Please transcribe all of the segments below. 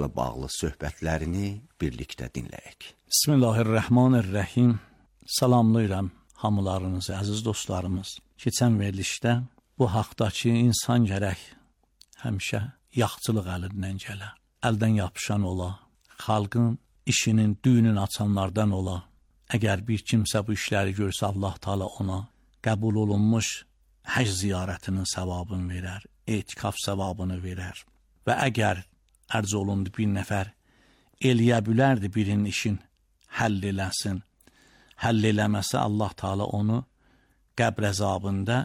kitabla bağlı söhbətlərini birlikdə dinləyək. Bismillahirrahmanirrahim. Salamlayıram hamılarınızı, əziz dostlarımız. Keçən verilişdə bu haqdakı insan gərək həmişə yaxçılıq əlindən gələ, əldən yapışan ola, xalqın işinin, düyünün açanlardan ola. Əgər bir kimsə bu işləri görsə, Allah Teala ona qəbul olunmuş həcc ziyarətinin savabını verər, etikaf savabını verər. Və əgər ərz olundu bir nəfər eləyə bilərdi birinin işin həll eləsin, həll eləməsə Allah Teala onu qəbr əzabında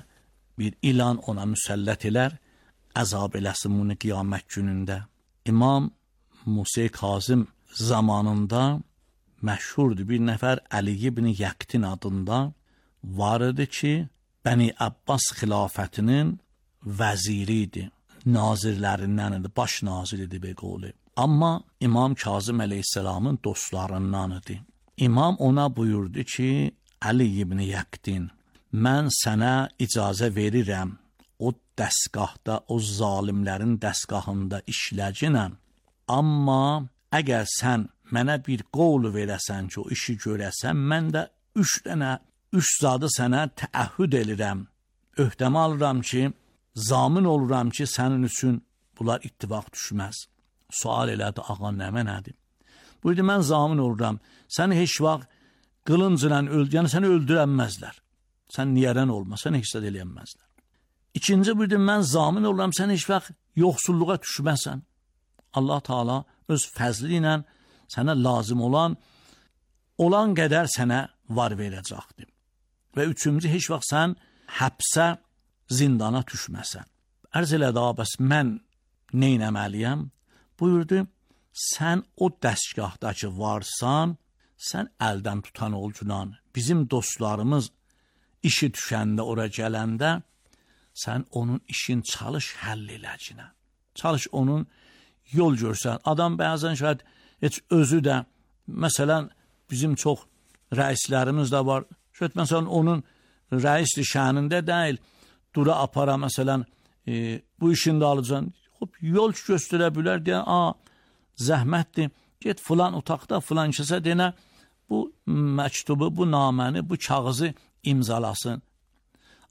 bir ilan ona müsəllət elər, əzab eləsin bunu qiyamət günündə. İmam Musa Kazım zamanında məşhurdur bir nəfər Əli ibn Yəqtin adında var idi ki, Bəni Abbas xilafətinin vəziri idi, nazirlərindən idi, baş nazir idi be qolu. Amma İmam Kazım əleyhisselamın dostlarından idi. İmam ona buyurdu ki, Əli ibn Yəqtin, mən sənə icazə verirəm, o dəstgahda, o zalimlərin dəstgahında işləcinəm. Amma əgər sən mənə bir qol verəsən ki, o işi görəsən, mən də üç zadı sənə təəhhüd edirəm. Öhdəmə alıram ki, zamin oluram ki, sənin üçün bunlar ittifaq düşməz. Sual elədi, ağa nədir? Buyurdu, mən zamin oluram, səni heç vaxt qılıncla yəni səni öldürənməzlər. Sən niyərən olma, səni heç də eləyənməzlər. İkinci buyurdu, mən zamin oluram, sən heç vaxt yoxsulluğa düşməsən. Allah Teala öz fəzli ilə sənə lazım olan qədər sənə var verəcəkdir. Və üçüncü, heç vaxt sən həbsə, zindana düşməsən. Ərz elədi, bəs mən neynəməliyəm? Buyurdu, sən o dəstgahdakı varsan, sən əldən tutan olcunan, bizim dostlarımız işi düşəndə, ora gələndə, sən onun işin çalış həll eləcinə. Çalış onun yol görsən. Adam bəzən şayad heç özü də, məsələn, bizim çox rəislərimiz də var, şayad məsələn onun rəisli şənində deyil, dura apara məsələn, bu işini də alacaksın, yol göstərə bilər deyən, zəhmətdir, get filan otaqda filan kəsə denə, bu məktubu, bu naməni, bu kağızı imzalasın.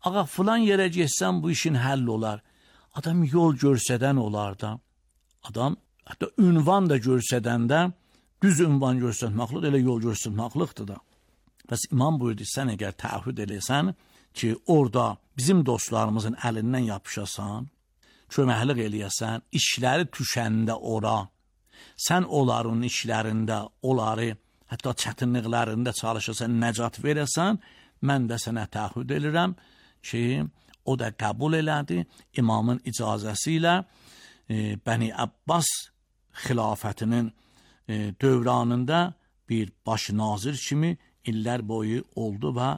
Ağa filan yerə getsən bu işin həll olar. Adam yol görsədən olar da. Adam hətta ünvan da görsədəndə, düz ünvan görsətməklidir, elə yol görsətməklidir da. Bəs imam buyurdu, sən əgər təəhhüd eləsən ki, orada bizim dostlarımızın əlindən yapışasan, köməklik eləyəsən, işləri düşəndə ora, sən onların işlərində, onları, hətta çətinliklərində çalışasan, nəcat verəsən, mən də sənə təəhhüd edirəm ki, o da qəbul elədi, imamın icazəsi ilə Bəni Abbas xilafətinin dövranında bir baş nazir kimi illər boyu oldu və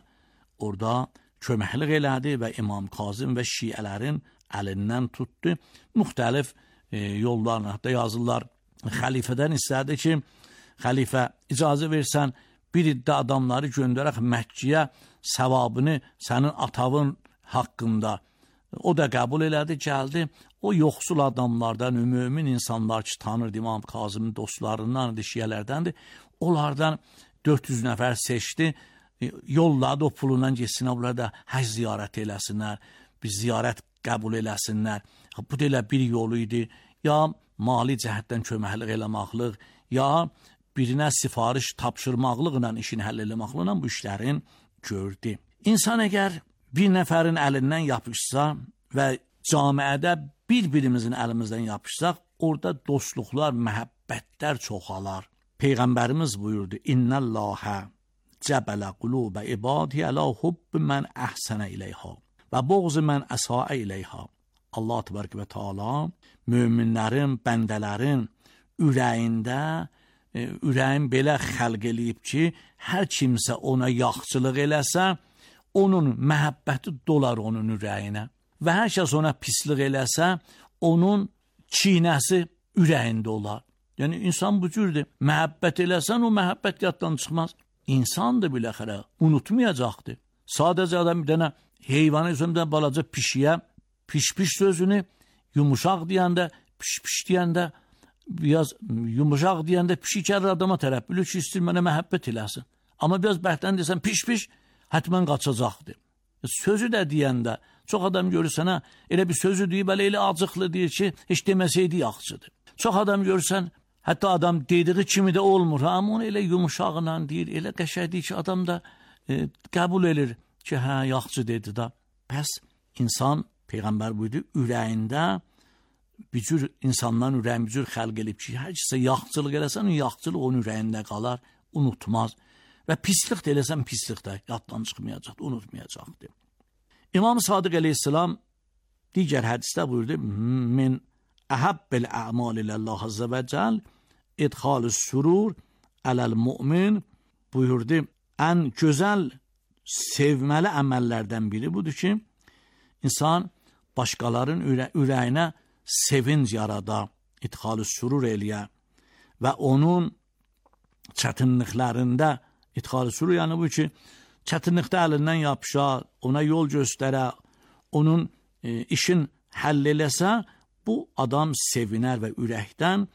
orada köməklik elədi və İmam Kazım və şiələrin əlindən tutdu. Müxtəlif yollarla, hətta yazırlar, xəlifədən istədi ki, xəlifə icazə versən, bir iddə adamları göndərək Məkkiyə savabını sənin atavın haqqında. O da qəbul elədi, gəldi. O yoxsul adamlardan, mümin insanlar ki, tanırdı İmam Kazımın dostlarından, şiyələrdəndir. Onlardan 400 nəfər seçdi. Yolladı o pulundan geçsinlər, burada həcc ziyarət eləsinlər, bir ziyarət qəbul eləsinlər. Bu da elə bir yolu idi. Ya mali cəhətdən köməklik eləməklik, ya birinə sifariş tapşırmaqlıqla işini həll eləməkliklə bu işlərin gördü. İnsan əgər bir nəfərin əlindən yapışsa və camiədə bir-birimizin əlimizdən yapışsaq, orada dostluqlar, məhəbbətlər çoxalar. Peyğəmbərimiz buyurdu, İnnəlləhə cəbələ qulubə ibadiyyə ələ hubbi mən əhsənə iləyhə və boğzu mən əsaə iləyhə. Allah təbarək və Teala möminlərin, bəndələrin ürəyində, ürəyin belə xəlq eləyib ki, hər kimsə ona yaxçılıq eləsə, onun məhəbbəti dolar onun ürəyinə. Və hər kəs ona pislik eləsə, onun çiynəsi ürəyində olar. Yəni, insan bu cürdür. Məhəbbət eləsən, o məhəbbət yaddan çıxmaz. İnsan da biləxərə unutmayacaqdır. Sadəcə adam bir dənə heyvanı üzümdən balaca pişiyə, piş-piş sözünü yumuşaq deyəndə, piş-piş deyəndə biraz yumuşaq deyəndə pişik gəlir adama tərəf, bilir ki, istəyir mənə məhəbbət eləsin. Amma biraz bərkdən desən piş, hətmən qaçacaqdır. Sözü də deyəndə, çox adam görürsən, elə bir sözü deyib, elə acıqlı deyir ki, heç deməsəydi yaxşıdır. Çox adam görürsən, hətta adam dediği kimi də olmur, amma onu elə yumuşaqla deyir, elə qəşəng deyir ki, adam da qəbul edir ki, hə, yaxşı dedi da. Pəs insan, Peyğəmbər buyurdu, ürəyində bir cür insanların ürəyini bir cür xəlq edib ki, hər kəsə yaxçılıq eləsən, o yaxçılıq onun ürəyində qalar, unutmaz. Və pislik də eləsən, pislik də yaddan çıxmayacaqdır, unutmayacaqdır. İmam Sadiq əleyhissalam digər hədisdə buyurdu, min əhəbbəl ə'mal iləllah azza və cəl idxalus surur aləl mümin buyurdu, ən gözəl sevməli əməllərdən biri budur ki, insan başqaların ürəyinə sevinc yarada, idxalus surur eləyə və onun çətinliklərində idxalus surur, yəni bu ki, çətinlikdə əlindən yapışa, ona yol göstərə, onun işin həll eləsə, bu adam sevinər və ürəkdən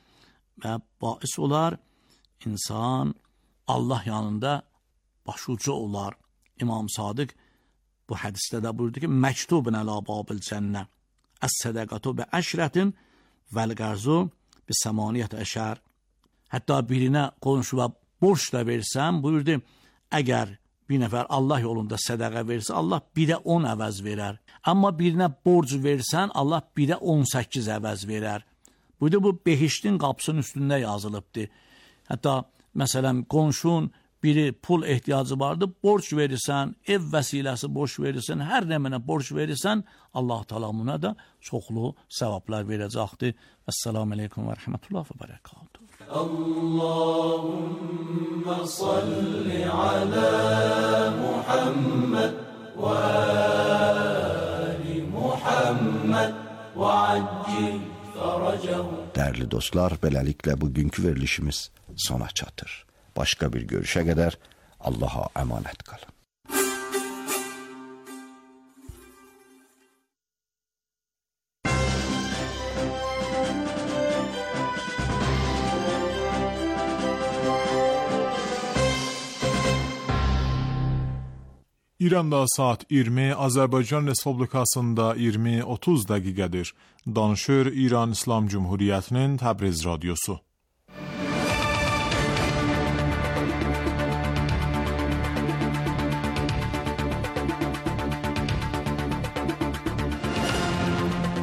və bais olar, insan Allah yanında başucu olar. İmam Sadiq bu hədisdə də buyurdu ki, məktubun ələ babil cənnə, əs-sədəqatu bi əşrətin vəl-qərzu bi səmaniyyət əşər. Hətta birinə qonşu və borç da versən, buyurdu, əgər bir nəfər Allah yolunda sədəqə versə, Allah 1-ə 10 əvəz verər. Amma birinə borc versən, Allah 1-ə 18 əvəz verər. Buyurdu, bu behiştin qapısının üstündə yazılıbdır. Hətta, məsələn, qonşun biri pul ehtiyacı vardı, borc verirsən, ev vəsiləsi borc verirsən, hər nəmənə borc verirsən, Allah Teala buna da çoxlu savablar verəcəkdir. Əssalamu aleykum və rəhmətullah və bərəkatuhu. Allahümme salli ala Muhammed və ali Muhammed və accil fərəcəhu. Dəyərli dostlar, beləliklə bugünkü verilişimiz sona çatır. Başqa bir görüşə qədər Allaha əmanət qalın. İranda saat 20, Azərbaycan Respublikasında 20:30 dəqiqədir. Danışır İran İslam Cumhuriyyətinin Təbriz radiosu.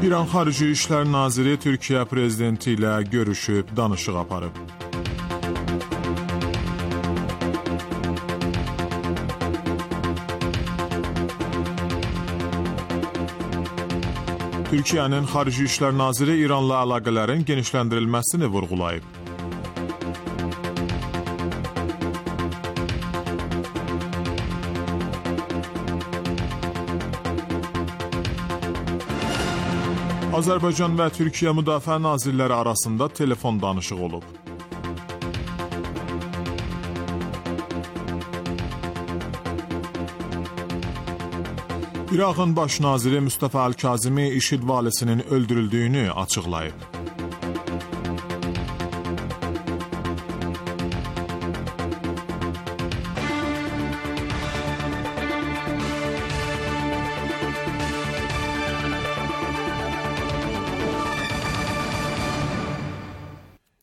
İran Xarici İşlər Naziri Türkiyə prezidenti ilə görüşüb, danışıq aparıb. Türkiyənin Xarici İşlər Naziri İranla əlaqələrin genişləndirilməsini vurğulayıb. Azərbaycan və Türkiyə Müdafiə Nazirləri arasında telefon danışığı olub. İraqın baş naziri Mustafa Əl-Kazimi IŞİD valisinin öldürüldüyünü açıqlayıb.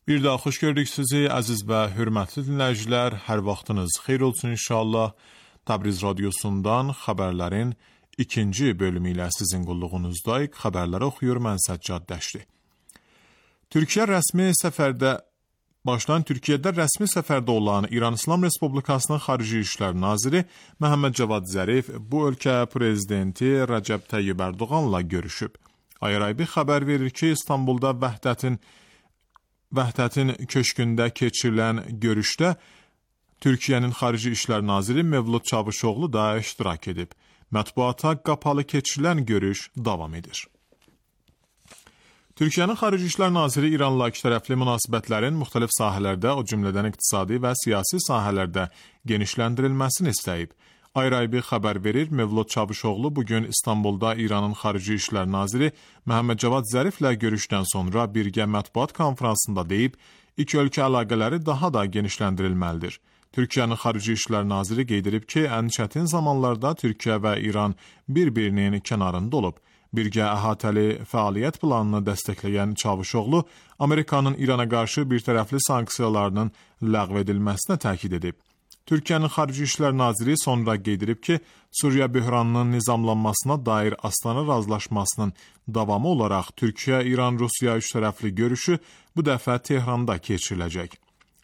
Bir daha xoş gördük sizi, əziz və hörmətli dinləyicilər. Hər vaxtınız xeyir olsun inşallah. Təbriz radiosundan xəbərlərin ikinci bölümü ilə sizin qulluğunuzdayıq. Xəbərləri oxuyur mən Səccad Dəşli. Türkiyədə rəsmi səfərdə olan İran İslam Respublikasının Xarici İşlər Naziri Məhəmməd Cavad Zərif bu ölkə prezidenti Rəcəb Tayyib Ərdoğanla görüşüb. Ayraybi xəbər verir ki, İstanbulda Vəhdətin köşkündə keçirilən görüşdə Türkiyənin Xarici İşlər Naziri Mevlud Çavuşoğlu da iştirak edib. Mətbuata qapalı keçirilən görüş davam edir. Türkiyənin Xarici İşlər Naziri İranla ikitərəfli münasibətlərin müxtəlif sahələrdə, o cümlədən iqtisadi və siyasi sahələrdə genişləndirilməsini istəyib. Ayraybi xəbər verir, Mevlud Çavuşoğlu bugün İstanbulda İranın Xarici İşlər Naziri Məhəmməd Cavad Zəriflə görüşdən sonra birgə mətbuat konferansında deyib, iki ölkə əlaqələri daha da genişləndirilməlidir. Türkiyənin Xarici İşlər Naziri qeyd edib ki, ən çətin zamanlarda Türkiyə və İran bir-birinin kənarında olub. Birgə əhatəli fəaliyyət planını dəstəkləyən Çavuşoğlu, Amerikanın İrana qarşı birtərəfli sanksiyalarının ləğv edilməsinə təkid edib. Türkiyənin Xarici İşlər Naziri sonra qeyd edib ki, Suriya böhranının nizamlanmasına dair Astana razılaşmasının davamı olaraq Türkiyə-İran-Rusiya üçtərəfli görüşü bu dəfə Tehranda keçiriləcək.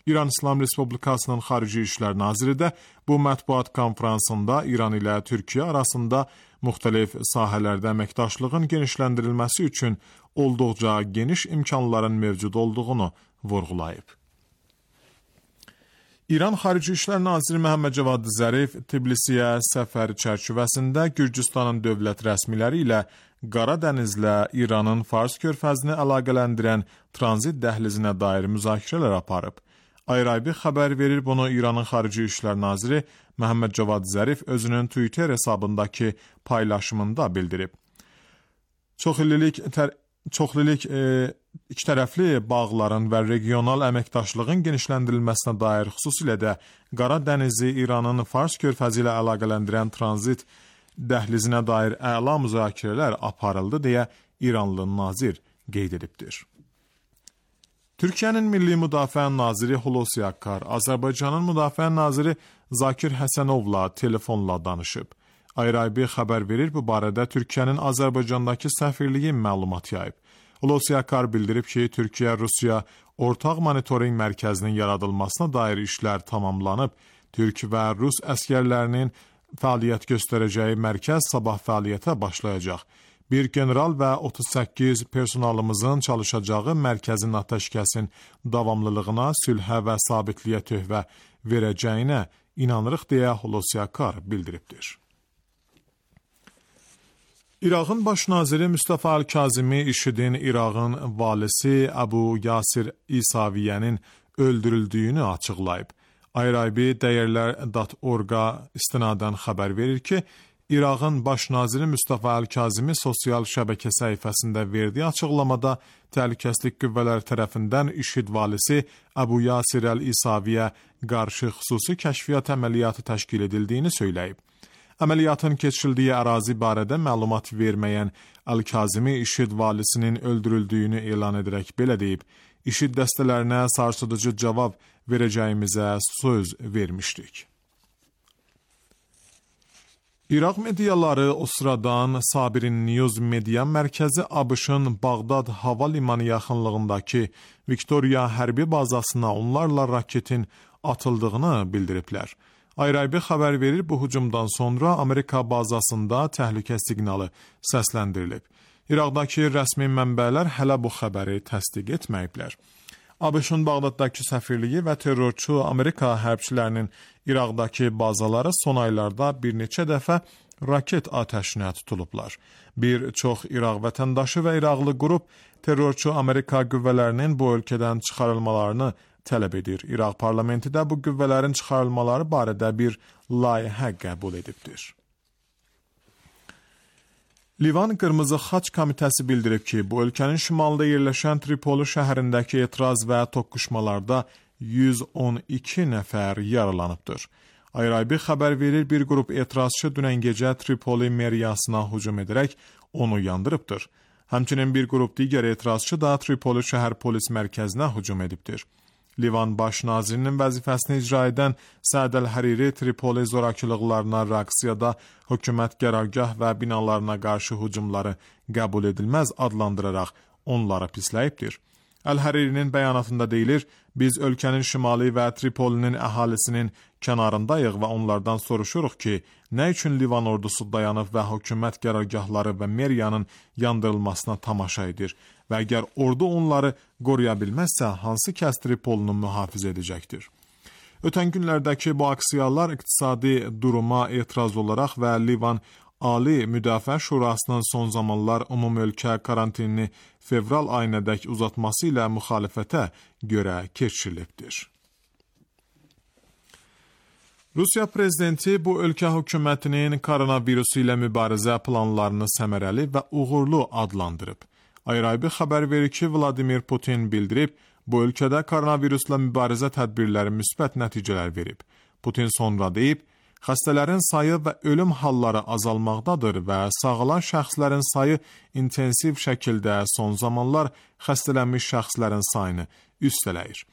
İran İslam Respublikasının Xarici İşlər Naziri də bu mətbuat konferansında İran ilə Türkiyə arasında müxtəlif sahələrdə əməkdaşlığın genişləndirilməsi üçün olduqca geniş imkanların mövcud olduğunu vurğulayıb. İran Xarici İşlər Naziri Məhəmməd Cavad Zərif Tbilisiyə səfər çərçivəsində Gürcüstanın dövlət rəsmiləri ilə Qara dənizlə İranın Fars körfəzini əlaqələndirən tranzit dəhlizinə dair müzakirələr aparıb. Ayraybi xəbər verir, bunu İranın Xarici İşlər Naziri Məhəmməd Cavad Zərif özünün Twitter hesabındakı paylaşımında bildirib. Çoxillik ikitərəfli bağların və regional əməkdaşlığın genişləndirilməsinə dair xüsusilə də Qara dənizi İranın Fars körfəzi ilə əlaqələndirən tranzit dəhlizinə dair əla müzakirələr aparıldı deyə İranlı nazir qeyd edibdir. Türkiyənin Milli Müdafiə Naziri Hulusi Akar, Azərbaycanın Müdafiə Naziri Zakir Həsənovla telefonla danışıb. Ayraybi xəbər verir, bu barədə Türkiyənin Azərbaycandakı səfirliyi məlumat yayıb. Hulusi Akar bildirib ki, Türkiyə-Rusiya ortaq monitoring mərkəzinin yaradılmasına dair işlər tamamlanıb. Türk və Rus əskərlərinin fəaliyyət göstərəcəyi mərkəz sabah fəaliyyətə başlayacaq. Bir general və 38 personalımızın çalışacağı mərkəzin atəşkəsin davamlılığına, sülhə və sabitliyə töhfə verəcəyinə inanırıq deyə Hulusi Akar bildiribdir. İraqın baş naziri Mustafa Al-Kazimi IŞİD'in İraqın valisi Əbu Yasir İsaviyyənin öldürüldüyünü açıqlayıb. Ayraybi dəyərlər.org-a istinadən xəbər verir ki, İraqın baş naziri Mustafa Al-Kazimi sosial şəbəkə səhifəsində verdiyi açıqlamada təhlükəsizlik qüvvələri tərəfindən IŞİD valisi Əbu Yasir Əl-İsaviyə qarşı xüsusi kəşfiyyat əməliyyatı təşkil edildiyini söyləyib. Əməliyyatın keçirildiyi ərazi barədə məlumat verməyən Əl-Kazimi IŞİD valisinin öldürüldüyünü elan edərək belə deyib, IŞİD dəstələrinə sarsıdıcı cavab verəcəyimizə söz vermişdik. İraq mediaları o sıradan Sabirin News media mərkəzi ABŞ-ın Bağdad hava limanı yaxınlığındakı Victoria hərbi bazasına onlarla raketin atıldığını bildiriblər. Ayraybi xəbər verir, bu hücumdan sonra Amerika bazasında təhlükə siqnalı səsləndirilib. İraqdakı rəsmi mənbələr hələ bu xəbəri təsdiq etməyiblər. ABŞ-ın Bağdaddakı səfirliyi və terrorçu Amerika hərbçilərinin İraqdakı bazaları son aylarda bir neçə dəfə raket atəşinə tutulublar. Bir çox İraq vətəndaşı və İraqlı qrup terrorçu Amerika qüvvələrinin bu ölkədən çıxarılmalarını tələb edir. İraq parlamenti də bu qüvvələrin çıxarılmaları barədə bir layihə qəbul edibdir. Livan Qırmızı Xaç Komitəsi bildirib ki, bu ölkənin şimalında yerləşən Tripoli şəhərindəki etiraz və toqquşmalarda 112 nəfər yaralanıbdır. Ayraybi xəbər verir, bir qrup etirazçı dünən gecə Tripoli meriyasına hücum edərək onu yandırıbdır. Həmçinin bir qrup digər etirazçı da Tripoli şəhər polis mərkəzinə hücum edibdir. Livan baş nazirinin vəzifəsini icra edən Səd Əl-Həriri Tripoli zorakılıqlarına reaksiyada hökumət qərargah və binalarına qarşı hücumları qəbul edilməz adlandıraraq onlara pisləyibdir. Əl-Həririnin bəyanatında deyilir, biz ölkənin şimali və Tripolinin əhalisinin kənarındayıq və onlardan soruşuruq ki, nə üçün Livan ordusu dayanıb və hökumət qərargahları və meriyanın yandırılmasına tamaşa edir və əgər ordu onları qoruya bilməzsə, hansı kəs Tripolini mühafizə edəcəkdir? Ötən günlərdəki bu aksiyalar iqtisadi duruma etiraz olaraq və Livan Ali Müdafiə Şurasının son zamanlar umumölkə karantinini fevral ayınadək uzatması ilə müxalifətə görə keçirilibdir. Rusiya prezidenti bu ölkə hökumətinin koronavirusu ilə mübarizə planlarını səmərəli və uğurlu adlandırıb. Ayrı-ayrı xəbər verir ki, Vladimir Putin bildirib, bu ölkədə koronavirusla mübarizə tədbirləri müsbət nəticələr verib. Putin sonra deyib, xəstələrin sayı və ölüm halları azalmaqdadır və sağalan şəxslərin sayı intensiv şəkildə son zamanlar xəstələnmiş şəxslərin sayını üstələyir.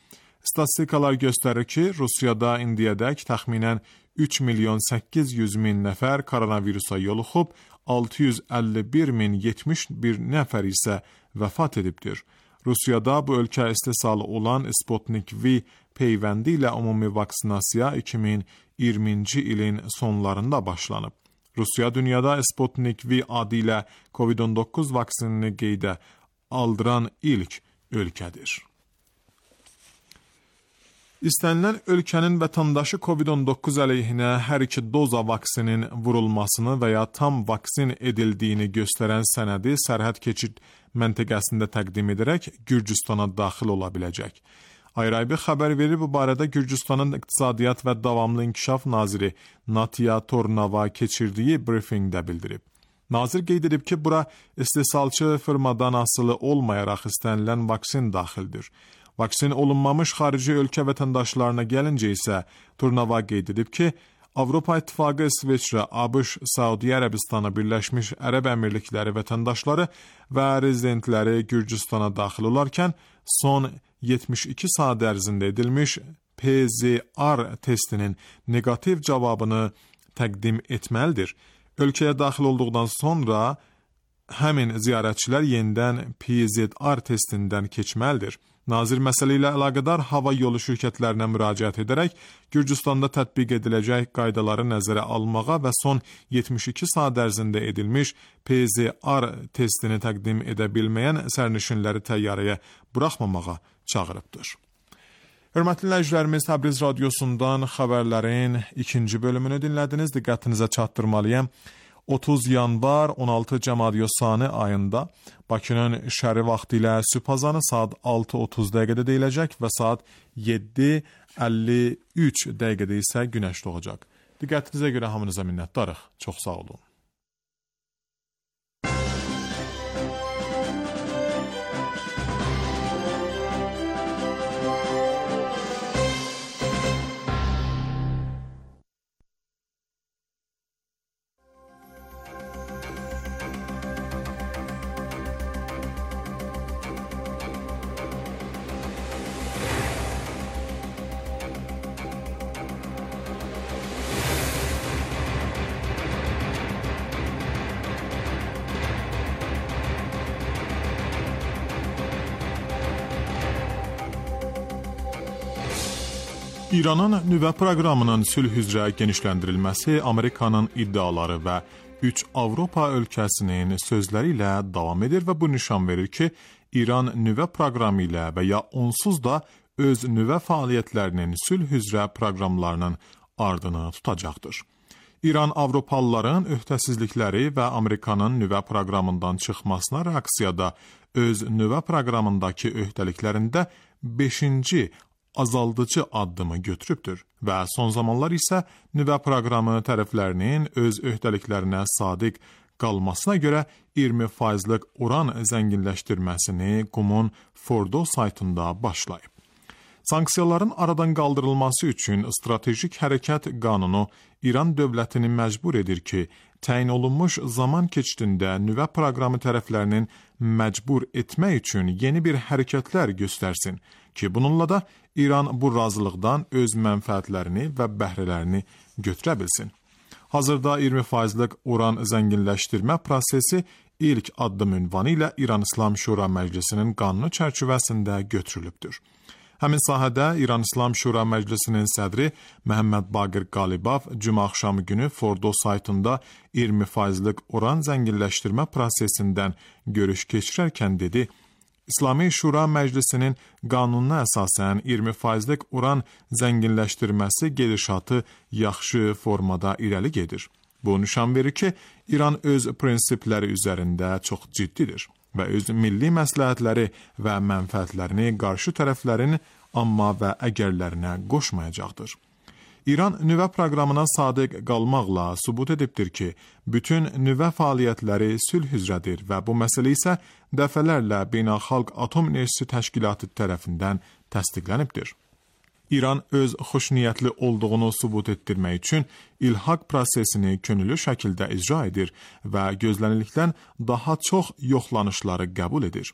Statistikalar göstərir ki, Rusiyada indiyədək təxminən 3.800.000 nəfər koronavirusa yoluxub, 651.071 nəfər isə vəfat edibdir. Rusiyada bu ölkə istehsalı olan Sputnik V peyvəndi ilə ümumi vaksinasiya 2020-ci ilin sonlarında başlanıb. Rusiya dünyada Sputnik V adı ilə COVID-19 vaksinini qeydə aldıran ilk ölkədir. İstənilən ölkənin vətəndaşı COVID-19 əleyhinə hər iki doza vaksinin vurulmasını və ya tam vaksin edildiyini göstərən sənədi sərhəd keçid məntəqəsində təqdim edərək Gürcüstana daxil ola biləcək. Ayrı-ayrı xəbər verir, bu barədə Gürcüstanın İqtisadiyyat və Davamlı İnkişaf naziri Natiya Tornava keçirdiyi briefingdə bildirib. Nazir qeyd edib ki, bura istehsalçı firmadan asılı olmayaraq istənilən vaksin daxildir. Vaksin olunmamış xarici ölkə vətəndaşlarına gəlincə isə Turnava qeyd edib ki, Avropa İttifaqı, İsveçrə, ABŞ, Saudiya Ərəbistanı, Birləşmiş Ərəb Əmirlikləri vətəndaşları və rezidentləri Gürcüstana daxil olarkən son 72 saat ərzində edilmiş PCR testinin negativ cavabını təqdim etməlidir. Ölkəyə daxil olduqdan sonra həmin ziyarətçilər yenidən PCR testindən keçməlidir. Nazir məsələ ilə əlaqədar hava yolu şirkətlərinə müraciət edərək Gürcüstanda tətbiq ediləcək qaydaları nəzərə almağa və son 72 saat ərzində edilmiş PCR testini təqdim edə bilməyən sərnişinləri təyyarəyə buraxmamağa çağırıbdır. Hörmətli dinləyicilərimiz, Təbriz radiosundan xəbərlərin ikinci bölümünü dinlədiniz. Diqqətinizə çatdırmalıyam. 30 yanvar 16 Cəmadiyosani ayında Bakının şəhəri vaxtı ilə sübh azanı saat 6:30 dəqiqədə deyiləcək və saat 7:53 dəqiqədə isə günəş doğacaq. Diqqətinizə görə hamınıza minnətdarıq. Çox sağ olun. İranın nüvə proqramının sülh üzrə genişləndirilməsi Amerikanın iddiaları və 3 Avropa ölkəsinin sözləri ilə davam edir və bu nişan verir ki, İran nüvə proqramı ilə və ya onsuz da öz nüvə fəaliyyətlərinin sülh üzrə proqramlarının ardını tutacaqdır. İran Avropalıların öhdəsizlikləri və Amerikanın nüvə proqramından çıxmasına reaksiyada öz nüvə proqramındakı öhdəliklərində 5-ci azaldıcı addımı götürübdür və son zamanlar isə nüvə proqramı tərəflərinin öz öhdəliklərinə sadiq qalmasına görə 20%lik uran zənginləşdirməsini Qumun Fordo saytında başlayıb. Sanksiyaların aradan qaldırılması üçün stratejik hərəkət qanunu İran dövlətini məcbur edir ki, təyin olunmuş zaman keçidində nüvə proqramı tərəflərinin məcbur etmək üçün yeni bir hərəkətlər göstərsin ki, bununla da İran bu razılıqdan öz mənfəətlərini və bəhrələrini götürə bilsin. Hazırda 20%lik uran zənginləşdirmə prosesi ilk addım ünvanı ilə İran İslam Şura Məclisinin qanunu çərçivəsində götürülübdür. Həmin sahədə İran İslam Şura Məclisinin sədri Məhəmməd Baqir Qalibov cümə axşamı günü Fordo saytında 20%lik uran zənginləşdirmə prosesindən görüş keçirərkən dedi, İslami Şura Məclisinin qanununa əsasən 20%lik uran zənginləşdirməsi gedişatı yaxşı formada irəli gedir. Bu nişan verir ki, İran öz prinsipləri üzərində çox ciddidir və öz milli məsləhətləri və mənfəətlərini qarşı tərəflərin amma və əgərlərinə qoşmayacaqdır. İran nüvə proqramına sadiq qalmaqla sübut edibdir ki, bütün nüvə fəaliyyətləri sülh üzrədir və bu məsələ isə dəfələrlə Beynəlxalq Atom Enerjisi Təşkilatı tərəfindən təsdiqlənibdir. İran öz xoşniyyətli olduğunu sübut etdirmək üçün ilhaq prosesini könüllü şəkildə icra edir və gözlənildikdən daha çox yoxlanışları qəbul edir.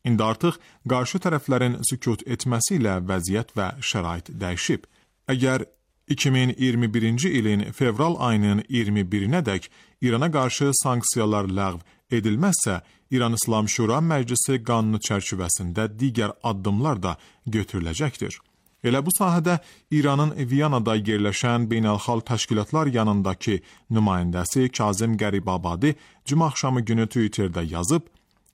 İndi artıq qarşı tərəflərin sükut etməsi ilə vəziyyət və şərait dəyişib. Əgər 2021-ci ilin fevral ayının 21-nədək İrana qarşı sanksiyalar ləğv edilməzsə, İran İslam Şura Məclisi qanunu çərçivəsində digər addımlar da götürüləcəkdir. Elə bu sahədə İranın Viyanada yerləşən beynəlxalq təşkilatlar yanındakı nümayəndəsi Kazım Qəribabadi cümə axşamı günü Twitterdə yazıb,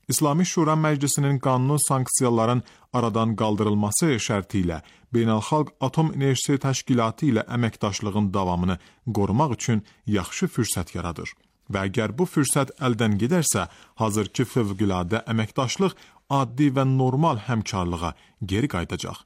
İslami Şura Məclisinin qanunu sanksiyaların aradan qaldırılması şərti ilə Beynəlxalq Atom Enerjisi Təşkilatı ilə əməkdaşlığın davamını qorumaq üçün yaxşı fürsət yaradır. Və əgər bu fürsət əldən gedərsə, hazırki fövqüladə əməkdaşlıq addi və normal həmkarlığa geri qayıdacaq.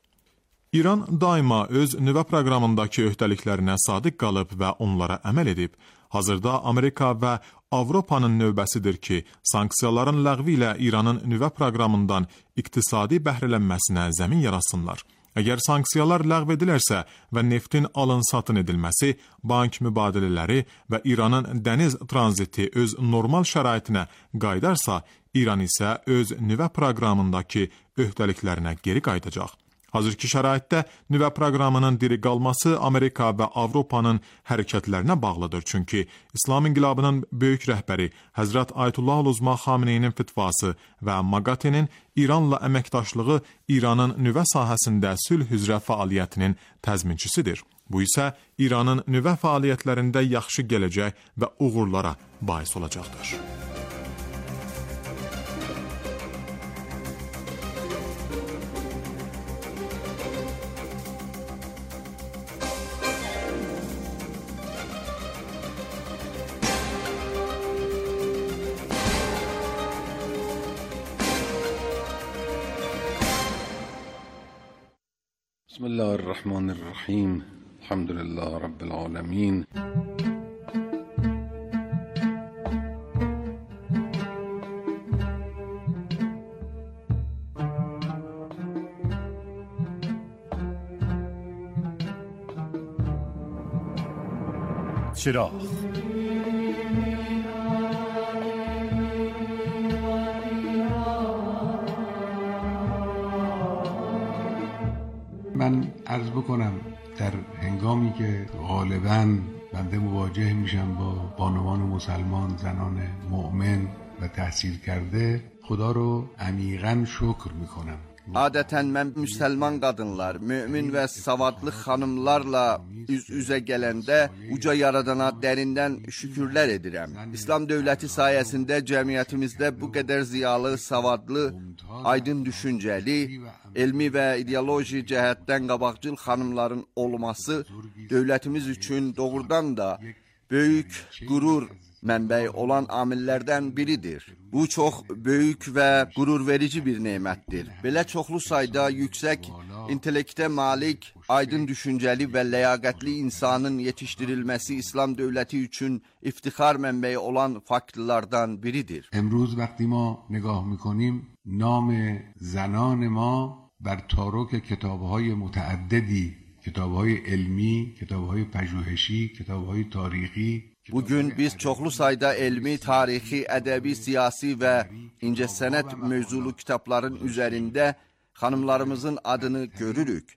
İran daima öz nüvə proqramındakı öhdəliklərinə sadiq qalıb və onlara əməl edib. Hazırda Amerika və Avropanın növbəsidir ki, sanksiyaların ləğvi ilə İranın nüvə proqramından iqtisadi bəhrələnməsinə zəmin yaratsınlar. Əgər sanksiyalar ləğv edilərsə və neftin alın-satın edilməsi, bank mübadilələri və İranın dəniz tranziti öz normal şəraitinə qayıdarsa, İran isə öz nüvə proqramındakı öhdəliklərinə geri qayıdacaq. Hazırki şəraitdə nüvə proqramının diri qalması Amerika və Avropanın hərəkətlərinə bağlıdır. Çünki İslam İnqilabının böyük rəhbəri Həzrət Ayətullah Uzma Xameneyinin fitvası və Maqatenin İranla əməkdaşlığı İranın nüvə sahəsində sülh üzrə fəaliyyətinin təzminçisidir. Bu isə İranın nüvə fəaliyyətlərində yaxşı gələcək və uğurlara bais olacaqdır. بسم الله الرحمن الرحیم الحمد لله رب العالمین چراغ من عرض بکنم در هنگامی که غالباً بنده مواجه میشم با بانوان مسلمان، زنان مؤمن و تحصیل کرده، خدا رو عمیقاً شکر میکنم. Adətən mən müsəlman qadınlar, mömin və savadlı xanımlarla üz-üzə gələndə uca yaradana dərindən şükürlər edirəm. İslam dövləti sayəsində cəmiyyətimizdə bu qədər ziyalı, savadlı, aydın düşüncəli, elmi və ideoloji cəhətdən qabaqcıl xanımların olması dövlətimiz üçün doğrudan da böyük qürur mənbəyi olan amillərdən biridir. Bu çox böyük və qürurverici bir nemətdir. Belə çoxlu sayda yüksək intellektə malik, aydın düşüncəli və ləyaqətli insanın yetişdirilməsi İslam dövləti üçün iftixar mənbəyi olan faktlardan biridir. امروز وقتی ما نگاه میکنیم نام زنان ما بر تارک کتاب‌های متعددی، کتاب‌های علمی، کتاب‌های پژوهشی، کتاب‌های تاریخی. Bugün biz çoxlu sayda elmi, tarixi, ədəbi, siyasi və incəsənət mövzulu kitabların üzərində xanımlarımızın adını görürük.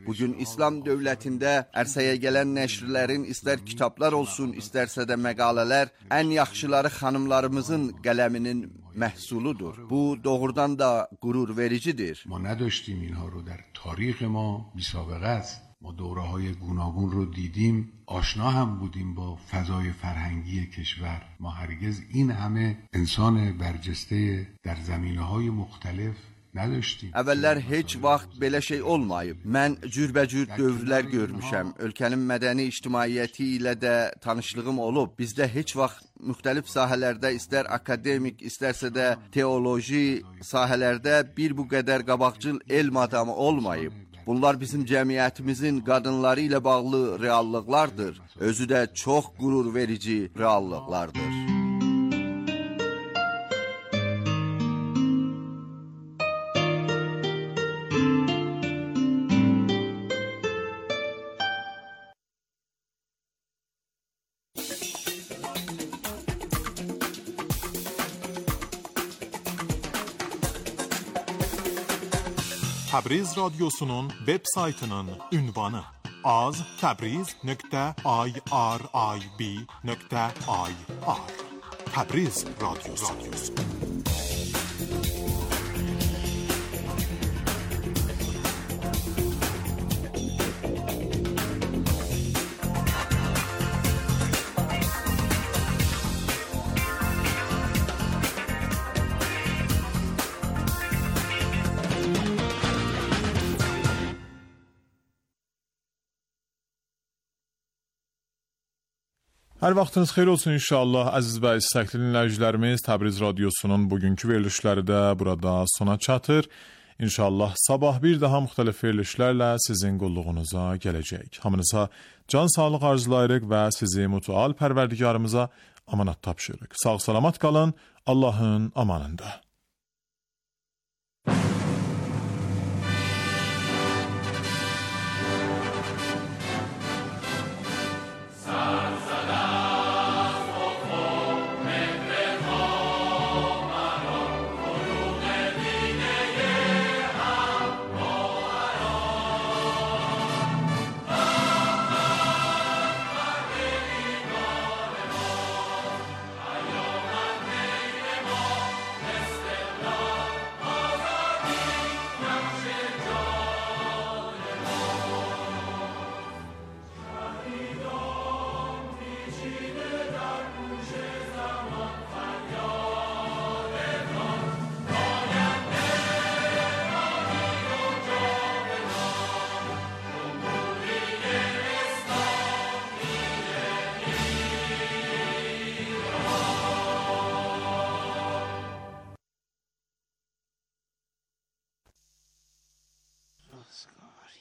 Bugün İslam dövlətində ərsəyə gələn nəşrlərin istər kitablar olsun, istərsə də məqalələr ən yaxşıları xanımlarımızın qələminin məhsuludur. Bu doğrudan da qürur vericidir. ما نداشتیم اینها رو در تاریخ ما بی‌سابقه است. ما دوره‌های گوناگون رو دیدیم، آشنا هم بودیم با فضای فرهنگی کشور. ما هرگز این همه انسان برجسته در زمینه‌های مختلف نداشتیم. Əvvəllər heç vaxt belə şey olmayıb. Mən cürbəcür dövrlər görmüşəm. Ölkənin mədəni ictimaiyyəti ilə də tanışlığım olub. Bizdə heç vaxt müxtəlif sahələrdə, istər akademik, istərsə də teoloji sahələrdə bir bu qədər qabaqcıl elm adamı olmayıb. Bunlar bizim cəmiyyətimizin qadınları ilə bağlı reallıqlardır. Özü də çox qürur verici reallıqlardır. Təbriz radyosunun web saytının ünvanı az.təbriz.irib.ir Təbriz radyosu. Hər vaxtınız xeyir olsun inşallah. Əziz və istəkli dinləyicilərimiz, Təbriz radiosunun bugünkü verilişləri də burada sona çatır. İnşallah sabah bir daha müxtəlif verilişlərlə sizin qulluğunuza gələcək. Hamınıza can sağlıq arzulayırıq və sizi mütəal pərverdigarımıza amanat tapşırırıq. Sağ salamat qalın, Allahın amanında.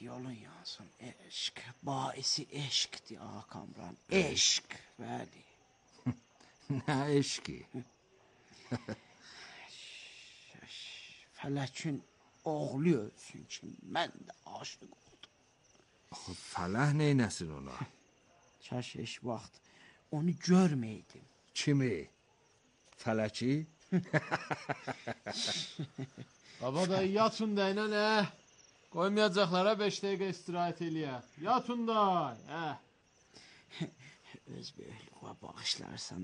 Yolun yansın eşk, baisi eşkdir ağa Kamran, eşk, bəli. Nə eşki? Fələkin oğlu ölsün ki, mən də aşıq oldum. Fələh neynəsin ona? Kaş eşk vaxt onu görməydim. Kimi? Fələki? Baba da yatın da ilə nə? Qoymayacaqlara 5 dəqiqə istirahət eləyə. Yatın da, Öz böyüklüğə bağışlarsan,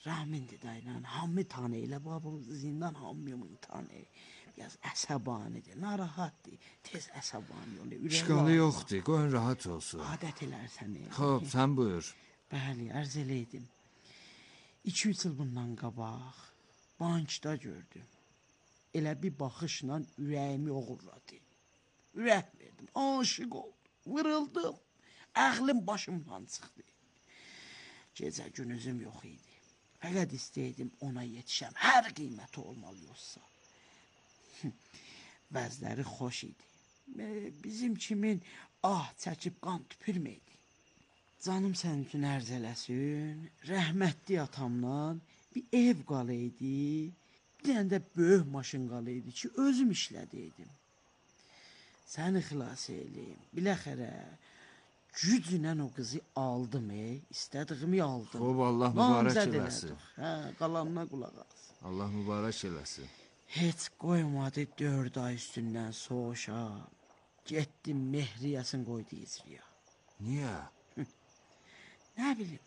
Rahmindir da ilə, hamı tanı elə, babamızı zindan hamımın tanı. Biraz əsəbanidir, narahatdır, tez əsəbani olur. İşqalı yoxdur, qoyun rahat olsun. Adət elərsən. Xob, sən buyur. Bəli, ərz eləydim. 2-3 il bundan qabaq bankda gördüm. Elə bir baxışla ürəyimi oğurladı. Ürək verdim, aşıq oldum, vırıldım, əqlim başımdan çıxdı. Gecə günüzüm yox idi. Fəqət istəydim ona yetişəm, hər qiyməti olmalı yoxsa. Vəzləri xoş idi. Bizim kimin çəkib qan tüpürməydi. Canım sənin üçün ərz eləsin, rəhmətli atamdan bir ev qalıydı, bir dənə də böyük maşın qalıydı ki, özüm işlədiydim. Səni xilas eləyim, biləxərə, güclə o qızı aldım, istədiyimi aldım. Xob, Allah mübarək eləsin. Qalanına qulaq as. Allah mübarək eləsin. Heç qoymadı 4 ay üstündən soğuşa, getdim Mehriyəsin qoydu icriya. Niyə? Nə bilim,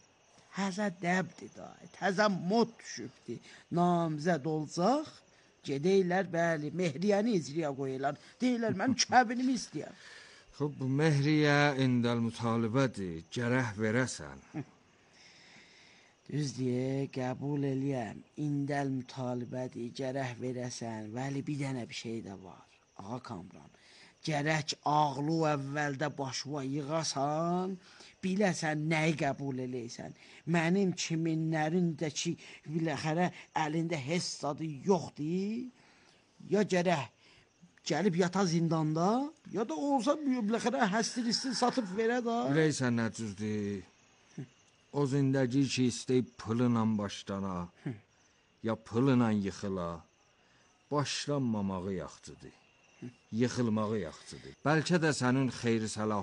həzə dəbdir da, təzə mod düşübdir, namzəd olacaq, gedəylər, bəli, Mehriyəni icriya qoyurlar, deyirlər, mən kəbinimi istəyəm. Xob, bu Mehriyə indəl mütalibədir, gərək verəsən. Düz deyə, qəbul eləyəm, indəl mütalibədir, gərək verəsən, vəli bir dənə bir şey də var, ağa Kamran. Gərək ağlı əvvəldə başıva yığasan, biləsən nəyi qəbul eləysən. Mənim kiminlərindəki biləxərə əlində heç zadı yoxdur, ya gərək gəlib yata zindanda, ya da olsa biləxərə həstil satıb verə da. Biləysən nə cüzdür? O zindəgi ki istəyib pılıla başlana, ya pılıla yıxıla, başlanmamağı yaxçıdır. Yıxılmağı yaxçıdır. Bəlkə də sənin xeyri səlah